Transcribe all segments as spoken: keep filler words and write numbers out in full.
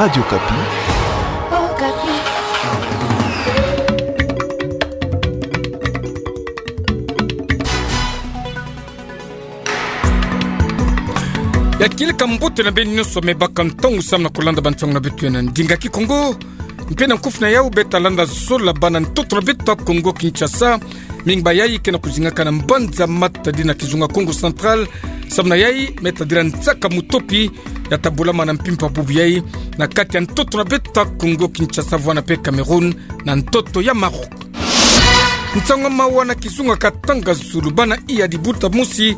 Radio Okapi. Ya kieleka mbote na beno nyonso me baka ntangu samu na kulanda bansangu na beto ya na ndinga Kikongo. Mpe na nkufi na yau beta landa zola bana ntoto na beto ya Kongo Kinshasa. Mingi bayai ke na kuzingaka na mbanza Matadi na kizunga Kongo Central. Samu na yai me tadila nsaka mutopi ya ta bulama na mpimpa bubu yai na kati ya ntoto na beto ya Kongo Kinshasa, Voana mpe Cameroun, na ntoto ya Maroc. Nsangu ya mawa na kizunga Katanga Zulu, bana iya dibuta mosi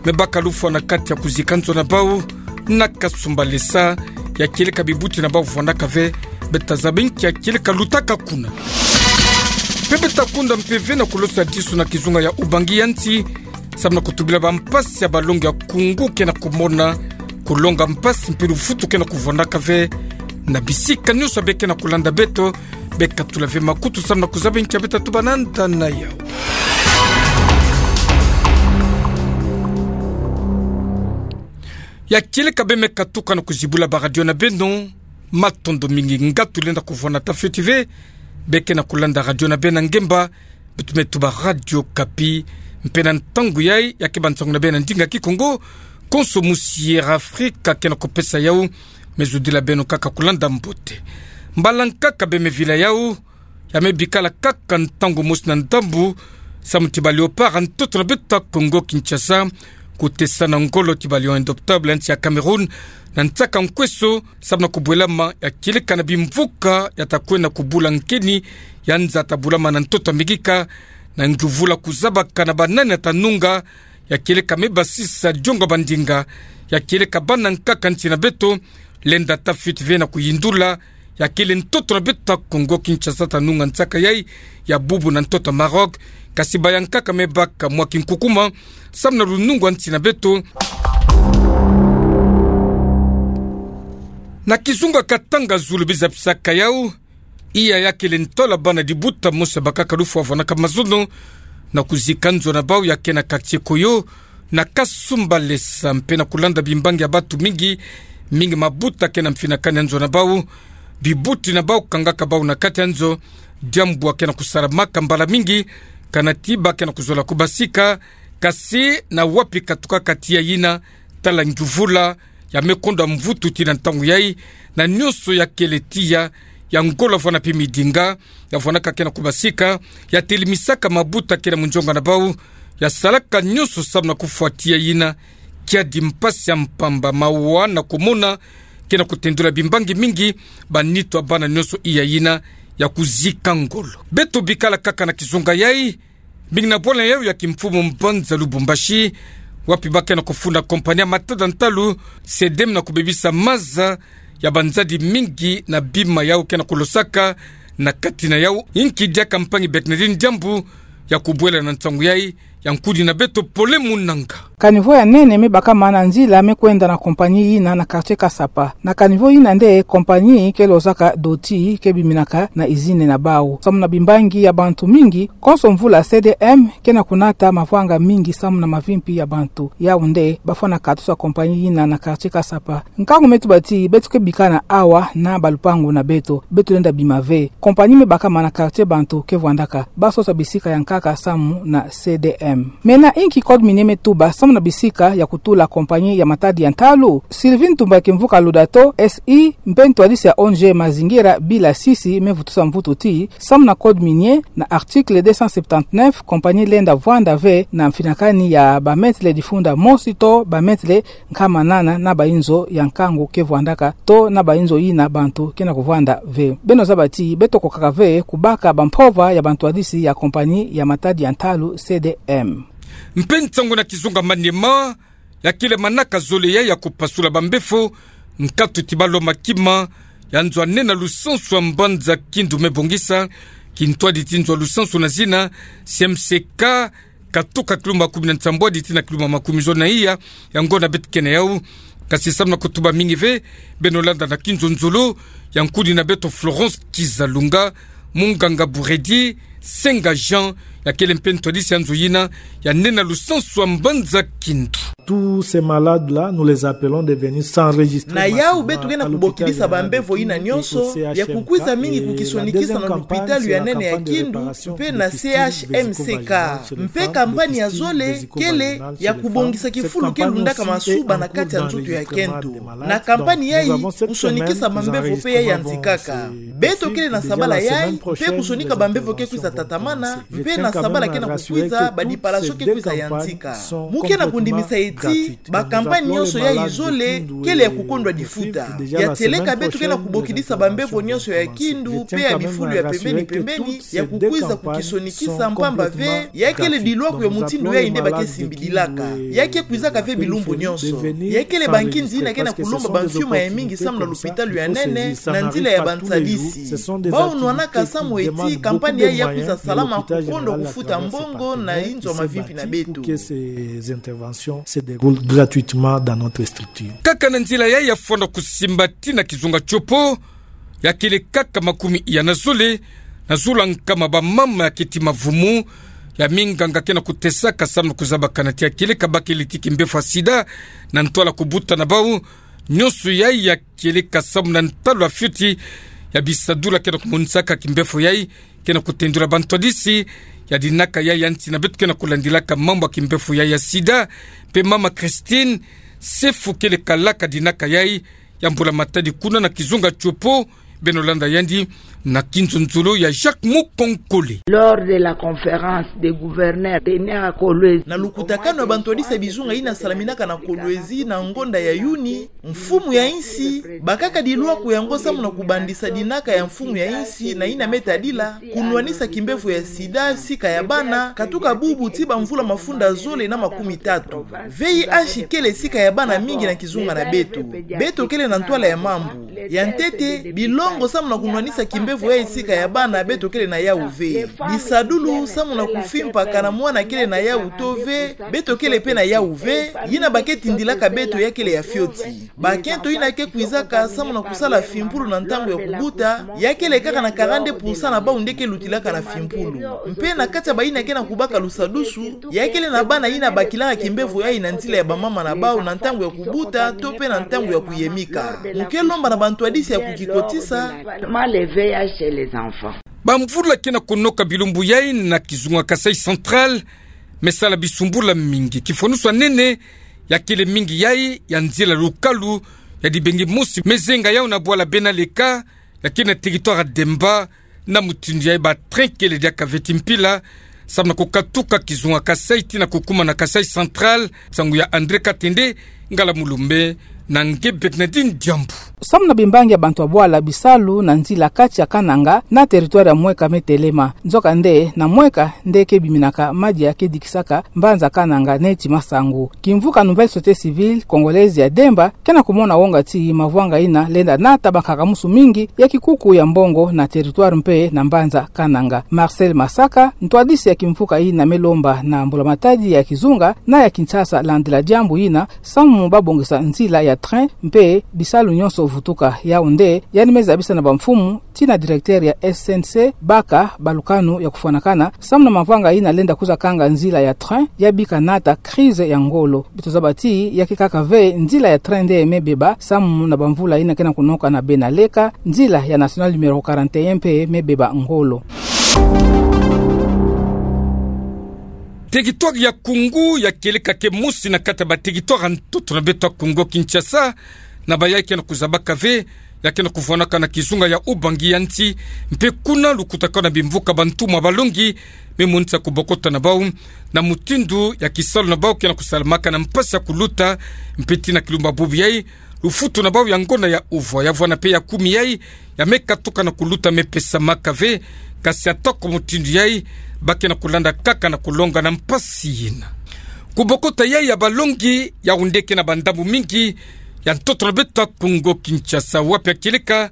me baka lufwa na kati ya kuzika nzo na bau na Kasumbalesa. Ya kieleka bibuti na bau vwandaka ve, beta zaba nki ya kieleka lutaka kuna. Mpe beta kunda mpeve na kulosa disu na kizunga ya Ubangi ya nsi, samu na kutubila bampasi ya balongi ya Kongo ke na kumona, kulonga mpasi mpe luvutu ke na kuvwandaka ve na bisika nyonso ya be ke na kulanda beto. Be katula ve makutu samu na kuzaba nki ya beta tuba na nda na yau. Ya kieleka be me katuka na kuzibula ba radio na beno, matondo mingi. Nga tulenda kuvwanda ta fioti ve, be ke na kulanda radio na beno na ngemba, beto me tuba Radio Okapi. Mpe na ntangu yai, ya ke bansangu na beno na ndinga Kikongo, konso musi Air Afrique ke na kupesa yau, me zudila beno kaka kulanda mbote. Mbala nkaka be me vila yau, ya me bikala kaka ntangu mosi na ndambu, samu ti ba Léopard ya ntoto na beto ya Kongo Kinshasa, kutesa na ngolo ti ba Lion Indomptable ya nsi ya Cameroun, na nsaka nkweso, samu na kubwelama ya kieleka na bimvuka ya ta kwenda kubula nkeni ya nza ta bulama na ntoto ya Migika, na nguvula kuzabaka na banani ya ta nunga, ya kieleka me basisa diongo ya bandinga, ya kieleka bana nkaka nsi na beto, lenda ta fioti ve na kuyindula ya kele ntoto na beto ya Kongo Kinshasa ta nunga nsaka yai ya bubu na ntoto ya Maroc, kasi baya nkaka me baka mwa kinkukuma, samu na lunungu ya nsi na beto. Na kizunga Katanga Zulu biza pisaka yau, iya ya kele ntwala bana dibuta mosi bakaka lufwa vwandaka mazono na kuzika nzo na bau ya ke na quartier Koyo, na Kasumbalesa, mpe na kulanda bimbangi ya bantu mingi, mingi mabuta ke na mfinakani ya nzo na bau, bibuti na bau kangaka bau na kati ya nzo, diambu ya ke na kusalamaka mbala mingi, kana ti ba ke na kuzola kubasika, kasi na wapi katukaka tiya yina, tala nguvula ya me konda mvutu tii na ntangu yai, na nyonso ya kele tiya, ya ngola vwanda mpe midinga ya vwandaka ke na kubasika, ya telimisaka mabuta ke na munzonga na bau, ya salaka nyonso samu na kufwa tiya yina. Kiadi mpasi ya mpamba, mawa na kumona ke na kutendula bimbangi mingi ba nitu ya bana nyonso iya yina ya kuzika ngolo. Beto bikala kaka na kizunga yai, mingi na bwala yau ya kimfumu mbanza Lubumbashi, wapi ba ke na kufunda kompani ya matada ntalu, SEDEM, na kubebisa maza ya banzadi mingi na bima yau ke na kulosaka na kati na yau. Inki diaka mpangi Bernardine Diambu ya kubwela na nsangu yai, ya nkudi na beto Pole Munanga. Caniveau ya nene me bakama na nzila me kwenda na kompani yina na quartier Kasapa. Na caniveau yina nde kompani ke lozaka doti ke biminaka na izine na bau. Samu na bimbangi ya bantu mingi, konso mvula SEDEM ke na kunata mavanga mingi samu na mavimpi ya bantu. Yau nde bafwana katusa kompani yina na quartier Kasapa. Nkangu me tuba ti beto ke bika na awa na balupangu na beto, beto lenda bima ve. Kompani me bakama na quartier bantu ke vwandaka, basosa bisika ya nkaka samu na SEDEM. Mena inki code minier me tuba samu na bisika ya kutula kompani ya matadi ya ntalu? Sylvie Ntumba Kimvuka Ludato, S I, mpe ntwadisi ya O N G Mazingira bila sisi me vutusa mvutu ti, samu na code minier, na article deux cent septante-neuf, kompani lenda vwanda ve na mfinakani ya ba mètres difunda mosi to ba mètres nkama nana na bainzo ya nkangu ke vwandaka to na bainzo yina bantu ke na kuvwanda ve. Beno zaba ti beto kokaka ve kubaka bampova ya bantwadisi ya kompani ya matadi ya ntalu SEDEM. Mpe nsangu na kizunga Maniema, ya kele manaka zole ya ya kupasula bambefo, nkatu ti balo makima ya nzo ya nene na lusansu ya mbanza Kindu me bongisa kintwadi ti nzo ya lusansu na zina C M C K, katuka kilumba kumi na nsambwadi tii na kilumba makumi zole na iya, ya ngonda beto ke na yau. Kasi samu na kutuba mingi ve, beno landa na kinzonzolo ya nkudi na beto Florence Kizalunga, munganga Buredi, Senga Jean, ya kele mpe ntwadisi ya nzo yina, ya nene na lusansu wa mbanza kindu. Tous ces malades-là, nous les appelons de venir s'enregistrer massivement à l'hôpital. Na yau beto kena kubokidisa bambevo yina nyonso, ya kukwiza mingi kukisonikisa na lupitalu ya nene ya kindu, mpe na C H M C K, mpe kampani ya zole kele ya kubongisa kifulu ke lundaka masuba na kati ya nzoto ya kento. Na kampani yayi, kusonikisa bambevo mpe yayi yanzikaka. Beto kele na sabala yayi, mpe kusonika bambevo ke kwiza tatamana, mpe na sabala kena kukwiza, ba dipalation ke kwiza yanzika. Mu kena kundimisa ti, bakampani nyonso yayi zole, kele ya kukondwa difuta. Ya tieleka beto kena kubokidisa bambevo nyonso ya kindu, mpe ya bifulu ya pembeni pembeni, ya kukwiza kukisonikisa mpamba ve, ya kele dilwaku ya mutindu yayi nde ba ke simbidilaka. Ya ke kwizaka ve bilumbu nyonso. Ya kele bankinzi yina kena kulomba bamfiuma ya mingi samu na lupitalu ya nene, na nzila ya bantwadisi. Bau nwanaka samu ti, kampani yayi ya kwiza salama kukondwa kufuta mbongo na inzo mavimpi na beto. Ces interventions se déroulent gratuitement dans notre structure. Kaka na nzila yayi ya fwana kusimba tii na kizunga tiopo, ya kele kaka makumi ya na zole, na zulu nkama bamama ya keti mavumu, ya minganga kena kutesaka samu na kuzabakana ti ya kele ka bakele ti kimbefo ya sida, na ntwala kubuta na bau, nyonso yayi ya kele ka samu na ntalu ya fioti, ya bisadulu kena kumonisaka kimbefo yayi, kena kutendula bantwadisi ya dinaka yayi ya nsi na beto kena kulandilaka mambu ya kimbefo yayi ya sida, mpe mama Christine, sefu kele kalaka dinaka yayi, ya mbula-matadi kuna na kizunga tiopo, beno landa yandi, na kinzonzolo ya Jacques Mukonkole. Lors de la conférence des gouverneurs tenue à Kolwezi. Na lukutakanu ya bantwadisi ya bizunga yina salaminaka na Kolwezi na ngonda ya Yuni, mfumu ya insi, bakaka dilwaku yango samu na kubandisa dinaka ya mfumu ya insi na yina me tadila, kunwanisa kimbefo ya sida sika ya bana, katuka bubu tii bamvula mafunda zole na makumi tatu. V I H kele sika ya bana mingi na kizunga na beto. Beto kele na ntwala ya mambu. Ya ntete, bilongo samu na kunwanisa kimbefo yayi sika ya bana beto kele na yau ve. Bisadulu samu na kufimpaka na mwana kele na yau to ve, beto kele mpe na yau ve, yina ba ke tindilaka beto ya kele ya fioti. Bakento yina ke kwizaka samu na kusala fimpulu na ntangu ya kubuta, ya kele kaka na quarante pour cent na bau nde ke lutilaka na fimpulu. Mpe na kati ya bayina kena kubaka lusadusu, ya kele na bana yina bakilaka kimbefo yayi na nzila ya bamama na bau na ntangu ya kubuta, to mpe na ntangu ya kuyemika. Mu ke lomba na bantwadisi ya kukikotisa. Bamvula kena kunoka bilumbu yayi na kizunga Kasaï Central, me sala bisumbula mingi. Kifwanusu ya nene, ya kele mingi yayi, ya nzila lukalu, ya dibengi mosi, me zenga yau na bwala Bena Leka, ya kele na territoire ya Demba, na mutindu yayi ba train kele diaka ve ti mpila, samu na kukatuka kizunga Kasaï tii na kukuma na Kasaï Central, nsangu ya André Katende, ngala Mulumbe, na nge Bernardine Diambu. Samu na bimbangi ya bantu ya bwala bisalu na nzila kati ya Kananga na territoire ya Mweka me telema. Nzokande, na Mweka nde ke biminaka madia ke dikisaka mbanza Kananga neti masangu. Kimvuka Nouvelle Société Civile Congolaise ya Demba, kena kumona wonga ti mavwanga yina lenda nata bankaka-musu mingi ya kikuku ya mbongo na territoire mpe na mbanza Kananga. Marcel Masaka, ntwadisi ya kimvuka yina me lomba na mbula-matadi ya kizunga na ya Kinshasa landila diambu yina, samu babongisa nzila ya train mpe bisalu nyonso vutuka. Yau nde yandi me zabisa na bamfumu tii na directeur ya S N C baka balukanu ya kufwanakana samu na mavwanga yina lenda kwiza kanga nzila ya train, ya bika nata crise ya ngolo. Beto zaba ti ya ke kaka ve nzila ya train nde me beba, samu na bamvula yina kena kunoka na Bena Leka, nzila ya nationale numéro quarante et un mpe me beba ngolo. Territoire ya Koungou ya kele kake mosi na kati ya ba territoire ya ntoto na beto ya Kongo Kinshasa, na bayayi kena kuzabaka ve, ya kena kuvwanaka na kizunga ya Ubangi ya nsi, mpe kuna lukutakanu na bimvuka bantumwa balongi me monisa kubokota na bau na mutindu ya kisalu na bau kena kusalamaka na mpasi ya kuluta, mpe tii na kilumbu bubu yayi, lufutu na bau ya ngonda ya uvwa, ya vwana mpe ya kumi yayi, ya me katuka na kuluta me pesamaka ve, kasi atako mutindu yayi, ba kena kulanda kaka na kulonga na mpasi yina. Kubokota yayi ya balongi, yau nde kena ba ndambu mingi ya ntoto na beto ya Kongo Kinshasa, wapi ya kieleka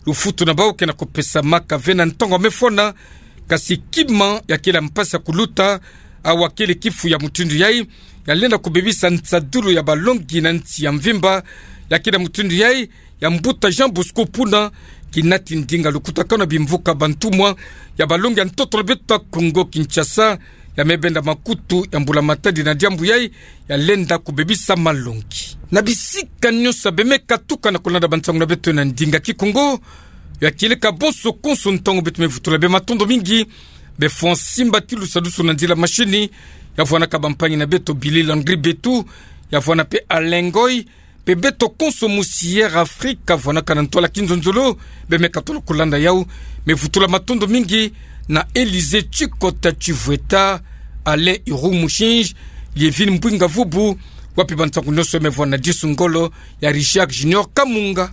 lufutu na bau kena kupesamaka ve na ntangu ya me fwana, kasi kima ya kele mpasi ya kuluta, awa kele kifu ya mutindu yayi, ya lenda kubebisa nsadulu ya balongi na nsi ya mvimba, ya kele mutindu yayi, ya mbuta Jean Bosco Puna, kinati ndinga lukutakano ya bimvuka bantumwa ya balongi ya ntoto na beto ya Kongo Kinshasa, ya me benda makutu ya mbula matadi na diambu yai ya lenda kubebisa malongi. Na bisika nyonso ya bemeka tukana kulanda bansangu na beto na ndinga Kikongo, ya kieleka bonso konso ntangu beto me vutula bê matondo mingi, bê fwa simba ti lusadusu na nzila mashini, ya vwanaka bampangi na beto Billy Landry Betu, ya vwana pe Alain Ngoy, pe beto konso mu Sierra Africa, vwanaka na ntwala Kinzonzolo, bemeka tolo kulanda yau. Me vutula matondo mingi na Élysée Tshikota Tshivweta, Alain Iroumushinge, Lievine Mbwinga Vubu, wapi bansangu nyonso me vwana disu ngolo ya Richard Junior Kamunga.